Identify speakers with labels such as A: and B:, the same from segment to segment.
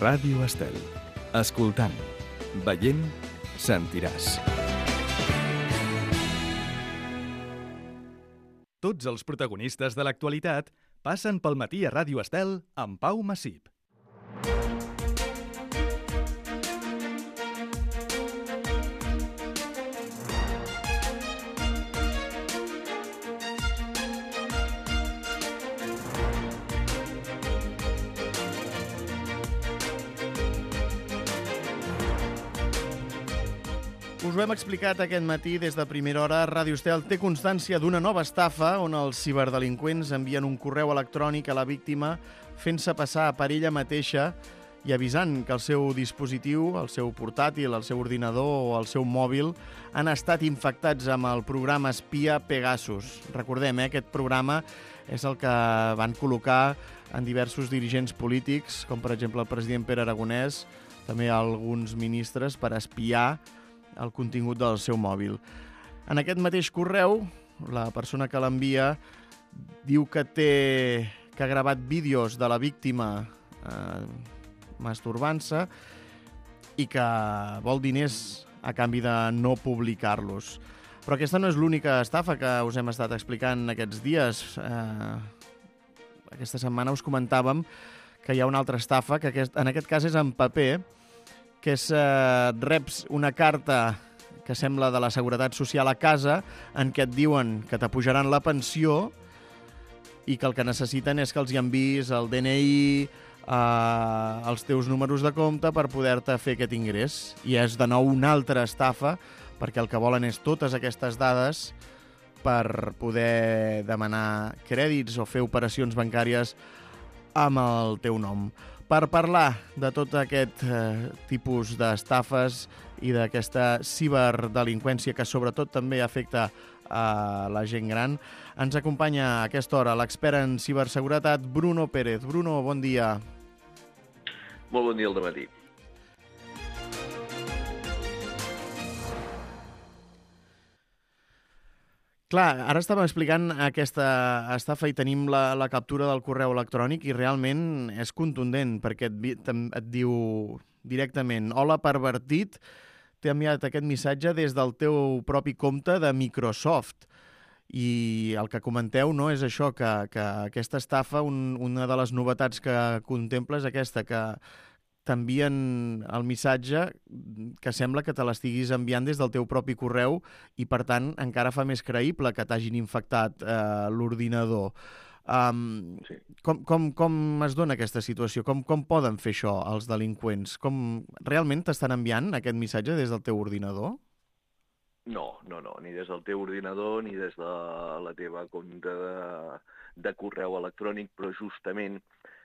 A: Ràdio Estel. Escoltant, veient, sentiràs. Tots els protagonistes de l'actualitat passen pel matí a Ràdio Estel amb Pau Massip.
B: Us ho hem explicat aquest matí des de primera hora. Ràdio Estel té constància d'una nova estafa on els ciberdelinqüents envien un correu electrònic a la víctima fent-se passar per ella mateixa i avisant que el seu dispositiu, el seu portàtil, el seu ordinador o el seu mòbil han estat infectats amb el programa espia Pegasus. Recordem, aquest programa és el que van col·locar en diversos dirigents polítics, com per exemple el president Pere Aragonès, també alguns ministres, per espiar el contingut del seu mòbil. En aquest mateix correu, la persona que l'envia diu que ha gravat vídeos de la víctima masturbant-se i que vol diners a canvi de no publicar-los. Però aquesta no és l'única estafa que us hem estat explicant aquests dies. Aquesta setmana us comentàvem que hi ha una altra estafa, que en aquest cas és en paper, que és reps una carta que sembla de la Seguretat Social a casa en què et diuen que t'apujaran la pensió i que el que necessiten és que els hi enviïs el DNI, els teus números de compte per poder-te fer aquest ingrés. I és de nou una altra estafa perquè el que volen és totes aquestes dades per poder demanar crèdits o fer operacions bancàries amb el teu nom. Per parlar de tot aquest tipus d'estafes i d'aquesta ciberdelinqüència que sobretot també afecta a la gent gran, ens acompanya a aquesta hora l'expert en ciberseguretat Bruno Pérez. Bruno, bon dia.
C: Molt bon dia al dematí.
B: Clar, ara estàvem explicant aquesta estafa i tenim la captura del correu electrònic i realment és contundent perquè et diu directament: hola, pervertit, t'he enviat aquest missatge des del teu propi compte de Microsoft. I el que comenteu, no, és això, que aquesta estafa, una de les novetats que contempla és aquesta, que t'envien el missatge que sembla que te l'estiguis enviant des del teu propi correu i, per tant, encara fa més creïble que t'hagin infectat l'ordinador.
C: Sí.
B: Com es dona aquesta situació? Com poden fer això els delinqüents? Realment t'estan enviant aquest missatge des del teu ordinador?
C: No, ni des del teu ordinador ni des de la teva compte de correu electrònic, però justament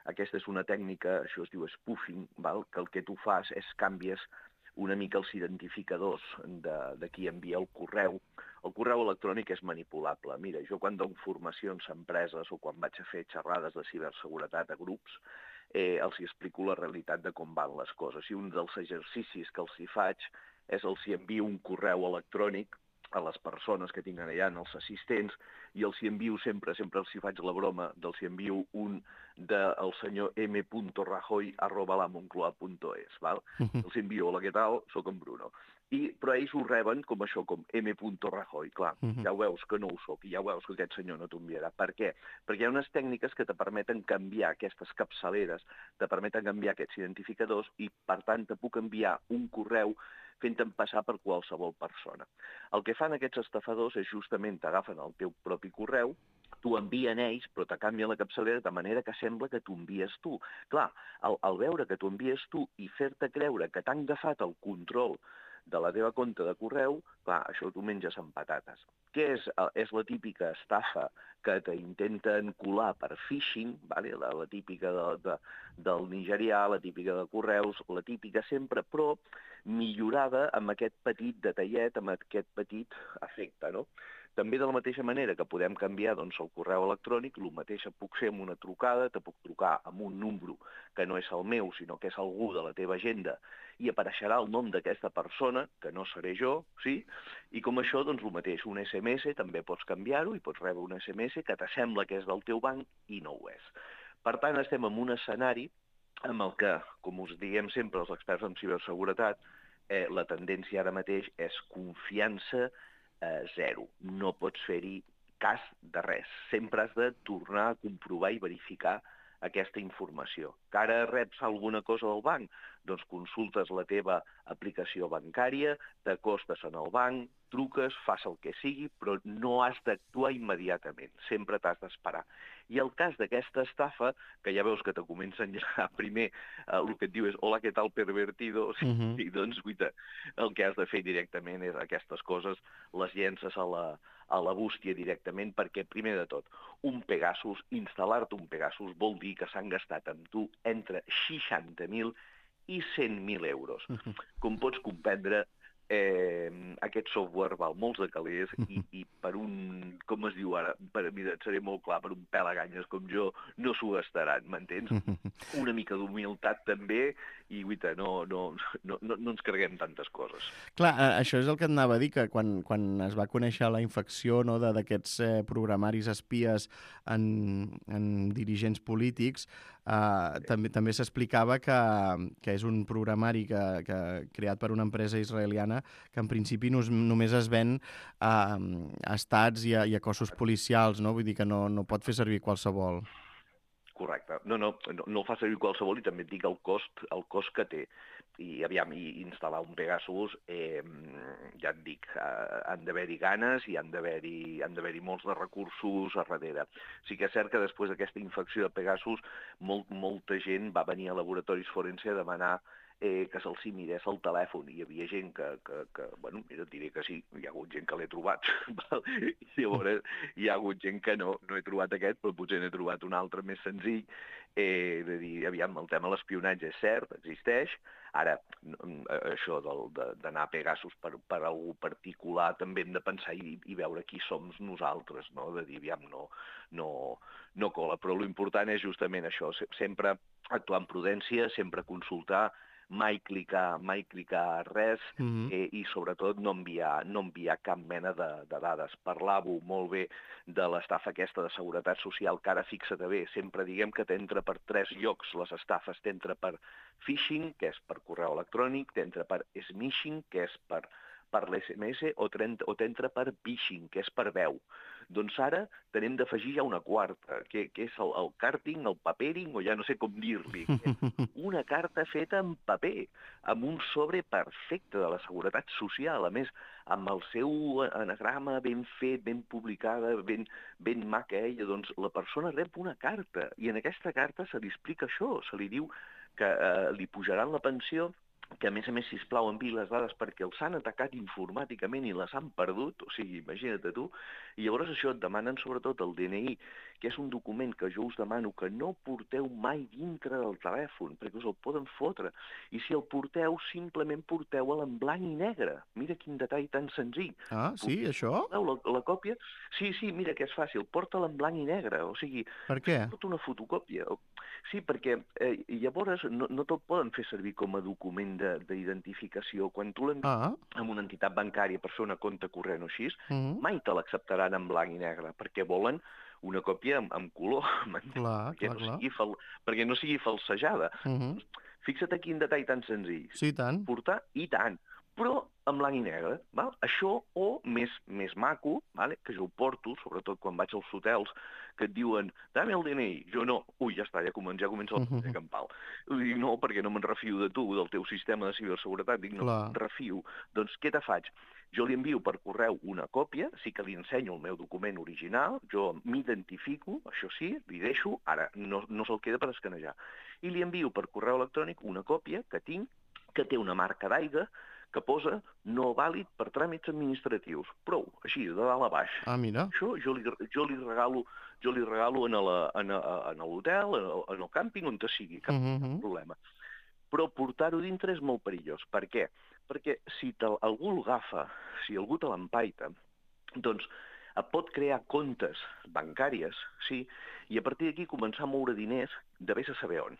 C: aquesta és una tècnica, això es diu spoofing, val? Que el que tu fas és canvies una mica els identificadors de qui envia el correu. El correu electrònic és manipulable. Mira, jo quan dono formacions a empreses o quan vaig a fer xerrades de ciberseguretat a grups, els hi explico la realitat de com van les coses. I un dels exercicis que els hi faig és els hi envio un correu electrònic a les persones que tinc allà, els assistents, i els hi envio sempre els hi faig la broma, els hi envio un del senyor m.rajoy@lamoncloa.es, val? Els envio: hola, què tal? Soc en Bruno. Però ells ho reben com això, com m.rajoy. Clar, ja ho veus que no ho soc, i ja ho veus que aquest senyor no t'ho enviarà. Per què? Perquè hi ha unes tècniques que te permeten canviar aquestes capçaleres, te permeten canviar aquests identificadors i, per tant, te puc enviar un correu fent-te'n passar per qualsevol persona. El que fan aquests estafadors és justament t'agafen el teu propi correu, t'ho envien ells, però te canvien la capçalera de manera que sembla que t'ho envies tu. Clar, al veure que t'ho envies tu i fer-te creure que t'han agafat el control de la teva compte de correu, clar, això t'ho menges amb patates. Què és? És la típica estafa que t'intenten colar per phishing, vale? La típica del nigerià, la típica de correus, la típica sempre, però millorada amb aquest petit detallet, amb aquest petit efecte, no? També de la mateixa manera que podem canviar el correu electrònic, el mateix puc fer amb una trucada, te puc trucar amb un número que no és el meu, sinó que és algú de la teva agenda, i apareixerà el nom d'aquesta persona, que no seré jo, sí? I com això, el mateix, un SMS, també pots canviar-ho i pots rebre un SMS que t'assembla que és del teu banc i no ho és. Per tant, estem en un escenari amb el que, com us diem sempre els experts en ciberseguretat, la tendència ara mateix és confiança zero. No pots fer-hi cas de res. Sempre has de tornar a comprovar i verificar aquesta informació. Que ara reps alguna cosa del banc? Doncs consultes la teva aplicació bancària, t'acostes en el banc, truques, fas el que sigui, però no has d'actuar immediatament. Sempre t'has d'esperar. I el cas d'aquesta estafa, que ja veus que te comencen ja primer, el que et diu és hola, què tal, pervertido? I doncs, guaita, el que has de fer directament és aquestes coses, les llences a la bústia directament, perquè, primer de tot, un Pegasus, instal·lar-te un Pegasus vol dir que s'han gastat amb tu entre 60.000 i 100.000 euros. Com pots comprendre, aquest software val molts de calés i per un, com es diu ara, mira, et seré molt clar, per un pelaganyes com jo, no s'ho gastaran, m'entens? Una mica d'humilitat també, i guaita, no ens carreguem tantes coses.
B: Clar, això és el que et anava a dir, que quan es va conèixer la infecció, no, d'aquests programaris espies en dirigents polítics, també s'explicava que és un programari creat per una empresa israeliana que en principi només es ven a estats i a cossos policials, no? Vull dir que no pot fer servir qualsevol.
C: Correcte. No el fa servir qualsevol i també et dic el cost que té. I aviam, instal·lar un Pegasus, ja et dic, han d'haver-hi ganes i han d'haver-hi molts de recursos a darrere. Sí que és cert que després d'aquesta infecció de Pegasus, molta gent va venir a laboratoris forense a demanar que se'ls mirés el telèfon. Hi havia gent que bueno, mira, et diré que sí, hi ha hagut gent que l'he trobat. Llavors, hi ha hagut gent que no he trobat aquest, però potser n'he trobat un altre més senzill. De dir, aviam, el tema de l'espionatge és cert, existeix. Ara, això d'anar a Pegasus per algú particular també hem de pensar i veure qui som nosaltres, no? De dir, aviam, no cola. Però l'important és justament això, sempre actuar amb prudència, sempre consultar, mai clicar res i sobretot no enviar cap mena de dades. Parlàveu molt bé de l'estafa aquesta de seguretat social, que ara fixa't bé, sempre diguem que t'entra per 3 llocs les estafes, t'entra per phishing, que és per correu electrònic, t'entra per smishing, que és per l'SMS, o t'entra per phishing, que és per veu. Doncs ara tenem d'afegir ja una quarta, que és el carting, el papering, o ja no sé com dir-li. Una carta feta en paper, amb un sobre perfecte de la seguretat social, a més, amb el seu anagrama ben fet, ben publicada, ben maca ella, doncs la persona rep una carta, i en aquesta carta se li explica això, se li diu que li pujaran la pensió, que a més, sisplau, enviï les dades perquè els han atacat informàticament i les han perdut, o sigui, imagina't tu, i llavors això et demanen sobretot el DNI, que és un document que jo us demano que no porteu mai dintre del telèfon, perquè us el poden fotre, i si el porteu, simplement porteu-el en blanc i negre. Mira quin detall tan senzill.
B: Ah, sí, això?
C: La còpia? Sí, mira que és fàcil, porta-la en blanc i negre, o sigui...
B: Per què?
C: Porta una fotocòpia. Sí, perquè llavors no te'l poden fer servir com a document d'identificació. Quan tu l'envies amb una entitat bancària per fer una compte corrent o així, mai te l'acceptaran en blanc i negre, perquè volen una còpia amb color, perquè no sigui falsejada. Fixa't aquí un detall tan senzill.
B: Sí, tant.
C: Portar i tant, però en blanc i negre. Val? Això, o més maco, vale? Que jo ho porto, sobretot quan vaig als hotels, que et diuen, dame el DNI. Jo no. Ui, ja està, ja comença el campal. Dic, no, perquè no me'n refio de tu, del teu sistema de ciberseguretat. Dic, no me'n refio. Doncs què te faig? Jo li envio per correu una còpia, sí que li ensenyo el meu document original, jo m'identifico, això sí, li deixo, ara no se'l queda per escanejar, i li envio per correu electrònic una còpia que tinc, que té una marca d'aigua, que posa no vàlid per tràmits administratius. Prou, així, de dalt a baix.
B: Ah, mira.
C: Això jo li regalo en l'hotel, en el càmping, on te sigui, cap problema. Però portar-ho dintre és molt perillós. Per què? Perquè si algú l'agafa, si algú te l'empaita, doncs et pot crear comptes bancàries, sí, i a partir d'aquí començar a moure diners de vés a saber on.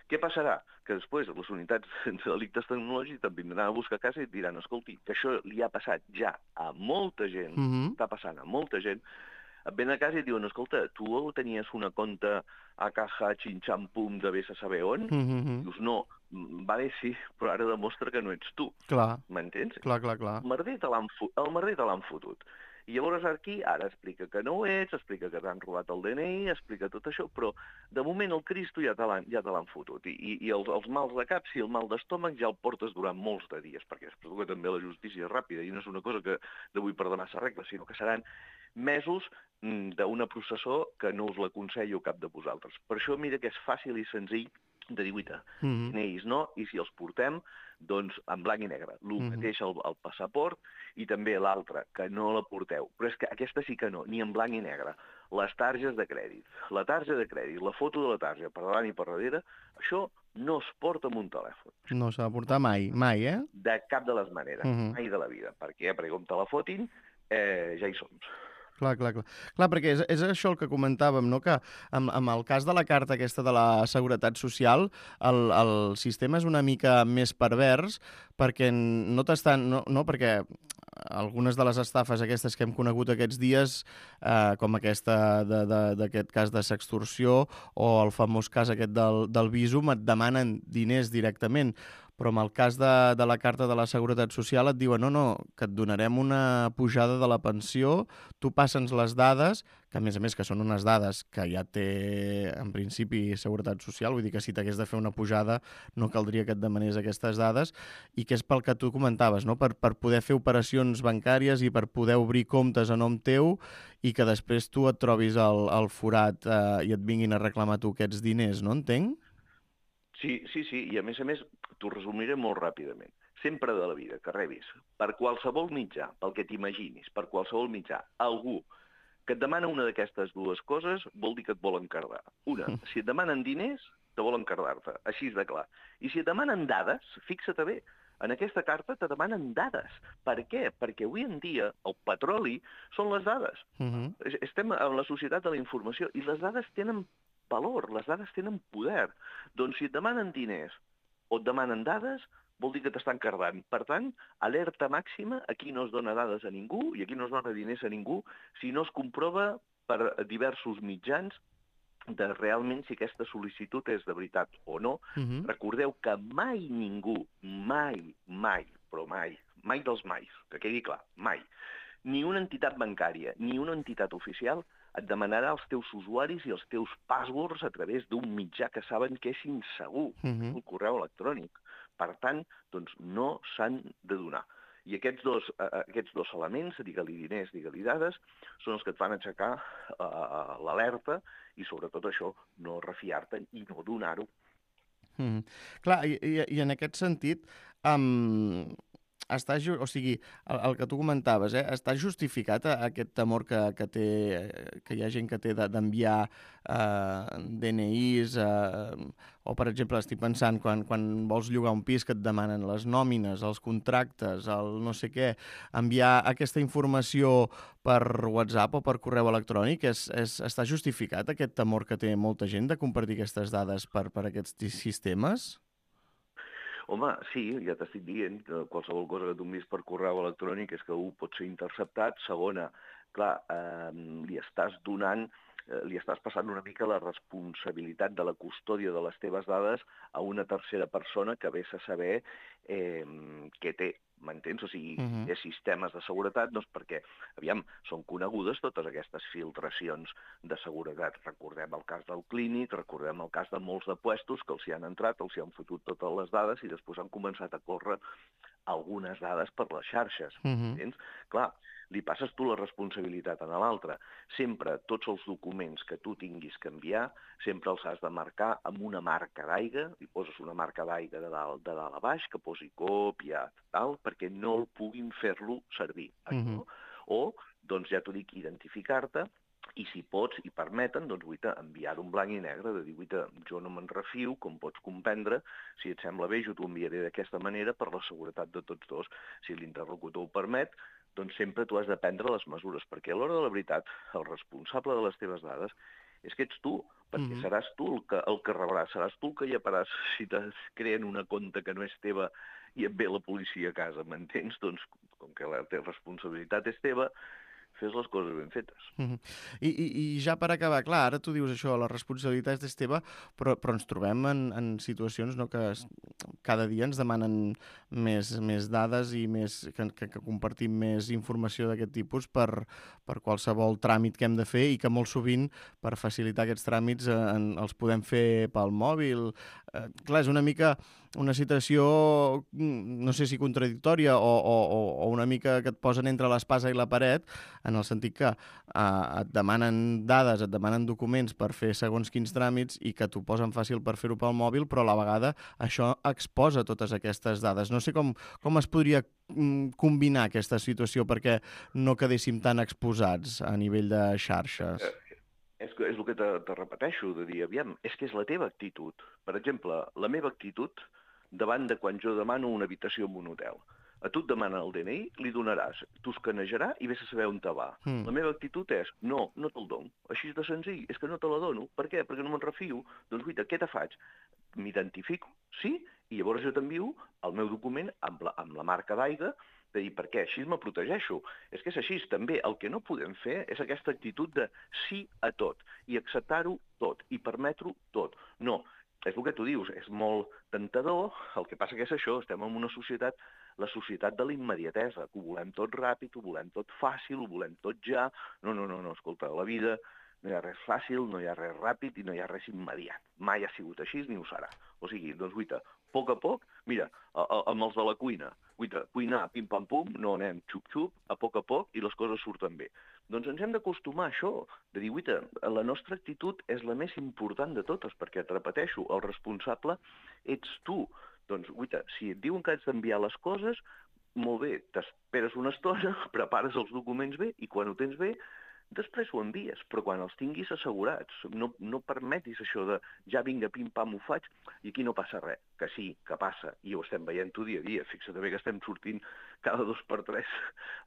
C: Què passarà? Que després les unitats de delictes tecnològics te'n vindran a buscar a casa i et diran, escolti, que això li ha passat ja a molta gent, està passant a molta gent, Et ven a casa i et diuen, escolta, tu tenies una compte a caja xinxampum de vés a saber on? Dius, no, vale, sí, però ara demostra que no ets tu.
B: Clar,
C: M'entens?
B: clar.
C: El merder te l'han fotut. I llavors aquí ara explica que no ho ets, explica que t'han robat el DNI, explica tot això, però de moment el Cristo ja te l'han fotut. I els mals de cap, si el mal d'estómac ja el portes durant molts de dies, perquè espero que també la justícia és ràpida i no és una cosa que d'avui per demà s'arregla, sinó que seran mesos d'una processó que no us l'aconsello cap de vosaltres. Per això mira que és fàcil i senzill de dir, uita, DNIs no, i si els portem, doncs en blanc i negre. El mateix el passaport i també l'altre, que no la porteu. Però és que aquesta sí que no, ni en blanc i negre. Les targes de crèdit, la tarja de crèdit, la foto de la tarja per davant i per darrere, això no es porta amb un telèfon.
B: No s'ha de portar mai, eh?
C: De cap de les maneres, mai de la vida. Per què? Perquè com te la fotin, ja hi som.
B: Clar, perquè és això el que comentàvem, no? Que amb el cas de la carta aquesta de la Seguretat Social, el sistema és una mica més pervers perquè no t'estan... No, perquè algunes de les estafes aquestes que hem conegut aquests dies, com aquesta d'aquest cas de sextorsió o el famós cas aquest del Bizum, et demanen diners directament. Però en el cas de la carta de la Seguretat Social et diuen no, que et donarem una pujada de la pensió, tu passa'ns les dades, que a més que són unes dades que ja té en principi Seguretat Social, vull dir que si t'hagués de fer una pujada no caldria que et demanés aquestes dades, i que és pel que tu comentaves, no? Per poder fer operacions bancàries i per poder obrir comptes a nom teu i que després tu et trobis al forat i et vinguin a reclamar tu aquests diners, no entenc?
C: Sí, i a més, t'ho resumiré molt ràpidament. Sempre de la vida, que rebis, per qualsevol mitjà, pel que t'imaginis, per qualsevol mitjà, algú que et demana una d'aquestes dues coses vol dir que et volen cardar. Una, si et demanen diners, te volen cardar-te, així de clar. I si et demanen dades, fixa't bé, en aquesta carta te demanen dades. Per què? Perquè avui en dia el petroli són les dades. Estem en la societat de la informació i les dades tenen valor, les dades tenen poder. Doncs si et demanen diners o et demanen dades, vol dir que t'estan cardant. Per tant, alerta màxima, aquí no es dona dades a ningú i aquí no es dona diners a ningú si no es comprova per diversos mitjans de realment si aquesta sol·licitud és de veritat o no. Recordeu que mai ningú, mai, però mai dels mais, que quedi clar, mai, ni una entitat bancària, ni una entitat oficial et demanarà els teus usuaris i els teus passwords a través d'un mitjà que saben que és insegur, el correu electrònic. Per tant, doncs no s'han de donar. I aquests dos elements, digue-li diners, digue-li dades, són els que et fan aixecar l'alerta i sobretot això, no refiar-te i no donar-ho.
B: Clar, i en aquest sentit, o sigui, el que tu comentaves, està justificat aquest temor que hi ha gent que té d'enviar DNIs o, per exemple, estic pensant quan vols llogar un pis que et demanen les nòmines, els contractes, el no sé què, enviar aquesta informació per WhatsApp o per correu electrònic, està justificat aquest temor que té molta gent de compartir aquestes dades per aquests sistemes?
C: Home, sí, ja t'estic dient que qualsevol cosa que tu envies per correu electrònic és que pot ser interceptat. Segona, clar, li estàs passant una mica la responsabilitat de la custòdia de les teves dades a una tercera persona que vés a saber què té, m'entens? O sigui, té sistemes de seguretat, doncs perquè, aviam, són conegudes totes aquestes filtracions de seguretat. Recordem el cas del Clínic, recordem el cas de molts de puestos que els hi han entrat, els hi han fotut totes les dades i després han començat a córrer algunes dades per les xarxes, entens? Clar, li passes tu la responsabilitat a l'altre. Sempre tots els documents que tu tinguis que enviar, sempre els has de marcar amb una marca d'aigua, li poses una marca d'aigua de dalt a baix, que posi còpia, tal, perquè no el puguin fer-lo servir. O, doncs ja t'ho dic, identificar-te, i si pots i permeten, doncs enviar-ho en blanc i negre, de dir, jo no me'n refio, com pots comprendre, si et sembla bé, jo t'ho enviaré d'aquesta manera per la seguretat de tots dos. Si l'interlocutor ho permet, doncs sempre tu has de prendre les mesures, perquè a l'hora de la veritat, el responsable de les teves dades és que ets tu, perquè seràs tu el que rebràs, seràs tu el que lleparàs si te creen una compte que no és teva i et ve la policia a casa, m'entens? Doncs, com que la responsabilitat és teva, fes les coses ben fetes.
B: I ja per acabar, clar, ara tu dius això, la responsabilitat és teva, però ens trobem en situacions que cada dia ens demanen més dades i que compartim més informació d'aquest tipus per qualsevol tràmit que hem de fer i que molt sovint, per facilitar aquests tràmits, els podem fer pel mòbil. Clar, és una mica una situació, no sé si contradictòria o una mica que et posen entre l'espasa i la paret, en el sentit que et demanen dades, et demanen documents per fer segons quins tràmits i que t'ho posen fàcil per fer-ho pel mòbil, però a la vegada això exposa totes aquestes dades. No sé com es podria combinar aquesta situació perquè no quedéssim tan exposats a nivell de xarxes.
C: És el que te repeteixo, de dir, aviam, és que és la teva actitud. Per exemple, la meva actitud davant de quan jo demano una habitació en un hotel. A tu et demanen el DNI, li donaràs, t'ho escanejarà i vés a saber on te va. La meva actitud és, no te'l dono. Així de senzill, és que no te la dono. Per què? Perquè no me'n refio. Doncs, guaita, què te faig? M'identifico, sí, i llavors jo t'envio el meu document amb la marca d'aigua, de dir, per què? Així me protegeixo. És que és així, també. El que no podem fer és aquesta actitud de sí a tot, i acceptar-ho tot, i permetre-ho tot. No, és el que tu dius, és molt tentador, el que passa que és això, estem en una societat, la societat de la immediatesa, que ho volem tot ràpid, ho volem tot fàcil, ho volem tot ja. No, escolta, la vida no hi ha res fàcil, no hi ha res ràpid i no hi ha res immediat. Mai ha sigut així ni ho serà. O sigui, doncs, guaita, a poc, mira, amb els de la cuina, guaita, cuinar, pim-pam-pum, no anem xup-xup, a poc i les coses surten bé. Doncs ens hem d'acostumar a això, de dir, guaita, la nostra actitud és la més important de totes, perquè et repeteixo, el responsable ets tu. Doncs, guaita, si et diuen que has d'enviar les coses, molt bé, t'esperes una estona, prepares els documents bé i quan ho tens bé, després ho envies, però quan els tinguis assegurats. No permetis això de ja vinga, pim-pam, ho faig, i aquí no passa res. Que sí, que passa, i ho estem veient-ho dia a dia. Fixa't bé que estem sortint cada 2 per 3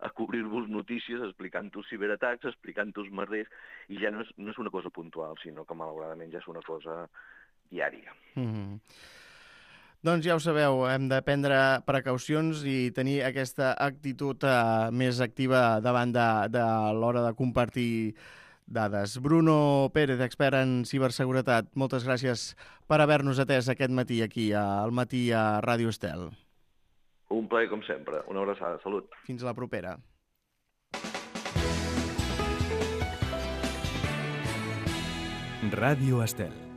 C: a cobrir-vos notícies, explicant-vos ciberatacs, explicant-vos merders, i ja no és una cosa puntual, sinó que malauradament ja és una cosa diària.
B: Doncs ja ho sabeu, hem de prendre precaucions i tenir aquesta actitud més activa davant de l'hora de compartir dades. Bruno Pérez, expert en ciberseguretat, moltes gràcies per haver-nos atès aquest matí aquí, al matí a Ràdio Estel.
C: Un plaer, com sempre. Una abraçada. Salut.
B: Fins la propera.
A: Ràdio Estel.